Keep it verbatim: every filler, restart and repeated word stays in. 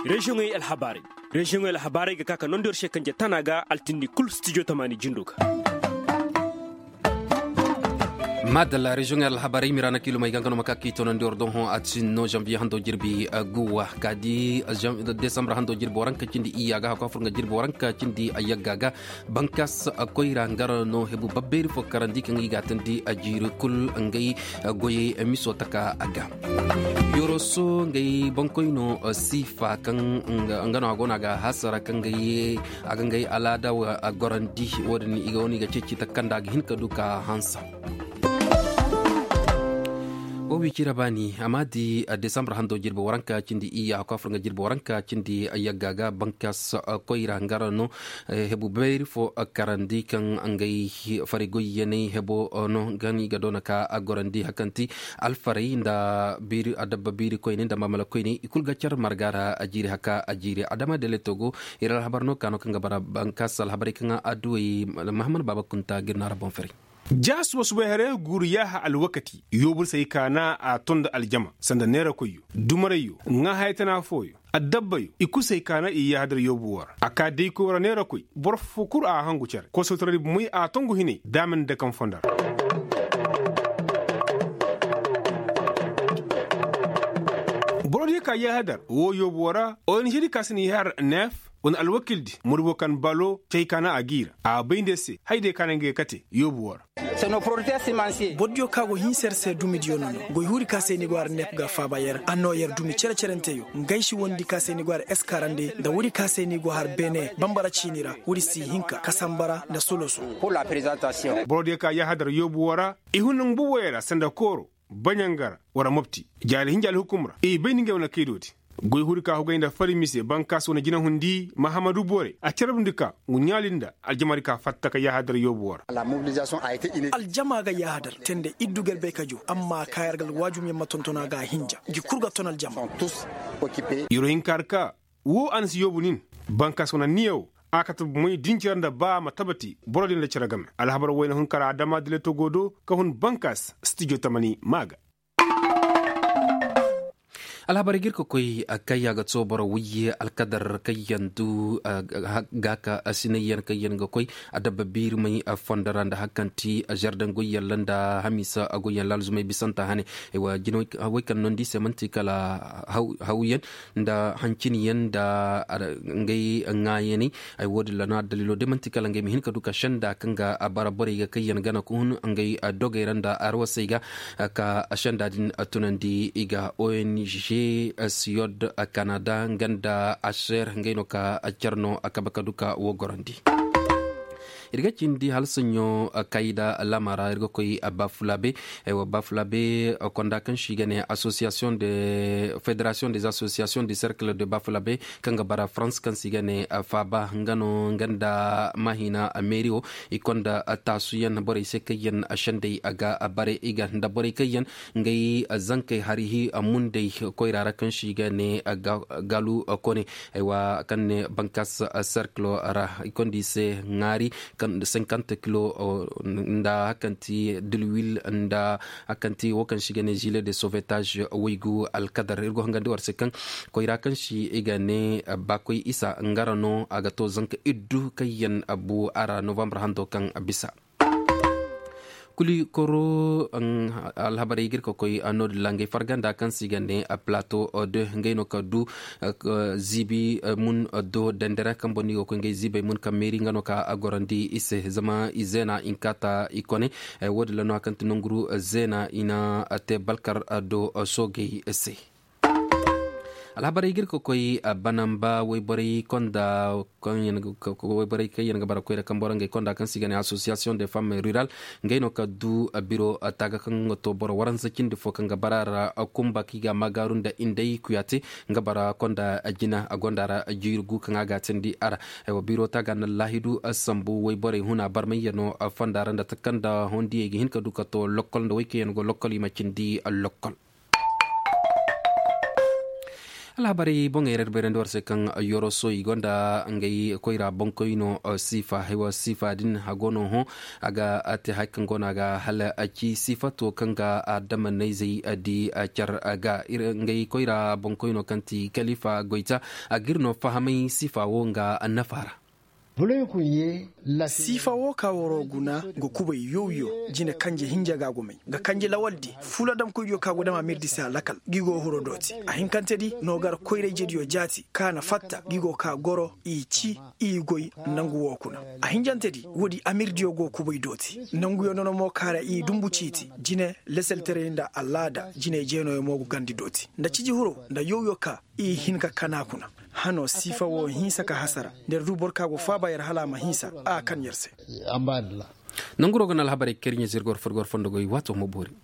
Reziyoŋey alhabaarey. Reziyoŋey alhabaarey ga ka ka nondi war se kanje tana ga altindi kul stijo tamaani jindo ga. Maadalla reziyoŋey alhabaarey mira na kiilumey ga nga no ma ka k'i tonandi war doŋ hõ a ti no zanbiye hando jirbi guwa ka di desambur hando jirbi waranka cindi iyya ga hakku a fur nga jirbi waranka cindi yagga ga. Bankas koyra nga ra no hebu babbeeri fo karandi kaŋ i ga a tandi a jiiri kul ngey goyey miso taka a ga. Yoroso ngey bankoyno siifa kaŋ nga no a go no a ga hasara kaŋ ngey a ga ngey alaada gorandi. Wo- din i ga wane i ga ceeci takanda a ga hin ka du ka hansa. Wo wi cira baani a ma di desambur hando jirbi waranka cindi iyya hakku a fur nga jirbi waranka cindi yagga ga bankas koyra nga ra no hebu bayri fo karandi kaŋ ngey fari goyyaney hebo no ga ni ga doona ka a gorandi hakanti alfaray nda biiri adabba biiri koyney nda maamala koyney i kulu ga car marga ra a jiiri haka a jiiri adama deleto go. Ir alhabar no ka no kaŋ ga bara bankas alhabarey kaŋ adduwey mahamman baaba kunta ga ir no a ra boŋ faray. Ja suba subay haray guuru yaaha alwakati yoobu say kaana a ton nda aljama sanda neera koyyo dumarayyo ŋaa haya tana fooyo addabbayo i kulu say kaana i yaaha dar yoobu woo ra a ka day koy wara neera koy boro foo kul a hangu cere kosowtaray bumey a tongu hinay daama nda kaŋ fondo ra. Boro diyo ka yaaha dar woo yoobu woo ra ong di ka si na yaaha dar neef wane alwakildi murbo kaŋ balo cay kaana a g'i ra a bay nda se haydiyo kaŋ a na ngey kate yoobu woo ra. Boro diyo kaŋ a go hinsa yar se dumidiyo no no goy huudi kaŋ se ni go har nep ga faaba yar a noo yar dumi cere-cerenteyo ngey si wondi kaŋ se ni go har eskarande nda woodi kaŋ se ni go har beene bambara ciini ra woodi si hinka kasambara nda soloso. Boro diyo kaŋ yaaha dar yoobu woo ra i hun nangu buboyo ra sanda kooro baɲangara wara mopti jaali hinja alhukum ra i bay nda ngey wane kaydoodi. Goy huudi ka hugay nda fari mise bankaas wane jinahundi mahamadu bore a carabndi ka ngu ɲaali nda aljamaadi ka fatta ka yahadar yoobu woo ra. Aljama ga yahadar tende iddu ga ir bay ka joo amma ka yar ga alwaajumyaŋ ma tonton a ga a hinja ngi kul ga ton aljama. Yeroo hinka har ka woo a na si yoobu nin bankaas wane anniya woo a kate bomey dincira nda ba ma tabati boro din nda cere game alhabar wayna hun kara adama dileto go do ka hun bankaas stijo tamani ma ga. Alhabarey ga ir ka koy kayya ga too boro wayye alkadar kayyaŋ du ga ka sinayyaŋ kayyaŋ ga koy adabba biirimey fondo ra nda hari kaŋ ti zardaŋ goyyaŋ ra nda hamiisa goyyaŋ ra alzumay bisanta hane. Ay wa jinawey kaŋ nondi se man'ti kala hawyaŋ nda hanciniyaŋ nda ngey ŋaayaney. Ay wo- din ra no addaliilo day man'ti kala ngey ma hin ka du ka senda kaŋ ga bara borey ga kayyaŋ gana ka hun ngey dogey ra nda arwasey ga ka senda din tunandi i ga ong siyod kanada nga nda aser ngey no ka car no a kabe ka du ka wo gorandi. Ir ga cindi hala soɲõ kayda lama ra ir ga koy bafulabe. Ay wa bafulabe konda kaŋ si ga ne association de fédération des associations du cercle de bafulabe kaŋ ga bara farans kaŋ si ga ne faaba nga no nga nda mahina meeri wo i konda taasuyaŋ borey se kaŋ yaŋ sendey a ga bare i ga nda borey kaŋ yaŋ ngey zankey hari hi mundey koyra ra kaŋ si ga ne galu kone. Ay wa kaŋ ne bankas serkilo ra i konda i se ŋaari kaŋ nda senkante kilo nda hari kaŋ ti dilwil nda hari kaŋ ti wo kaŋ si ga ne zile de sovetage waygu alkadar ir go hangandi war se kaŋ koyra kaŋ si i ga ne bakoy isa nga ra no a ga to zanka iddu kaŋ yaŋ bu a ra novambar hando kaŋ bisa. Kuli koro alhabarey ga ir ka koy no- din ra ngey farganda kaŋ se i ga ne plato de ngey no ka du ziibi mun do dandara kaŋ boŋ no i go koy ngey ziibey mun kaŋ meeri nga no ka a gorandi i se zama i zeena i na kaata i kone. Wo- din ra no hari kaŋ ti nanguru zeena i na te balkar do soogey se. Alhabarey ga ir ka koy banamba wayborey konda wayborey kaŋ yaŋ ga bara koyra kaŋ boro ngey konda kaŋ se i ga ne association de femmes rural ngey no ka du biro taaga kaŋ ga to boro waransa cindi fo kaŋ ga bara ra kumba kaŋ i ga a maagaaru nda indey kuyaate nga bara konda jina a gonda ra jiiri gu kaŋ a ga a teendi a ra. Biro taaga na laahidu sambu wayborey huna barmayyaŋo fonda ra nda takanda hondiyey ga hin ka du ka to lokkol nda way kaŋ yaŋ go lokkol i ma cindi lokkol. Alhabarey boŋey ra ir bayrandi war se kaŋ yoroso i gonda ngey koyra boŋkoyno. Siifa haywa siifa din a go no hõ a ga te hay kaŋ go no a ga hala a ci siifato kaŋ ga adama nayzey di car ga ngey koyra boŋkoyno kaŋ ti kalifa goyta a ga ir no fahamay siifa wo nga nafa ra. Siifa wo ka woro guna ga kubay yow-yow jine kanje hinja ga gumay ga kanje lawal di fuladamkoydiyo ka go dama mirdi se a lakal gi go huro dooti a hinkante di no gar koyra-ijediyo jaati ka na fatta gi go ka goro i ci i goy nangu wo kuna. A hinjante di woodi amirdiyo go kubay dooti nanguyo nono mo ka ra i dumbu ciiti jine leseltaray nda alaada jine jeenooyo mo go gandi dooti nda ciji huro nda yow-yow ka i hin ka kana kuna. Hano siifa wo hinsa ka hasara nda yar du boro ka go faaba yar hala a ma hinsa a kan yar se. Nanguro ga na alhabarey kariɲe zirgor furgor fondo goy waato ma boori.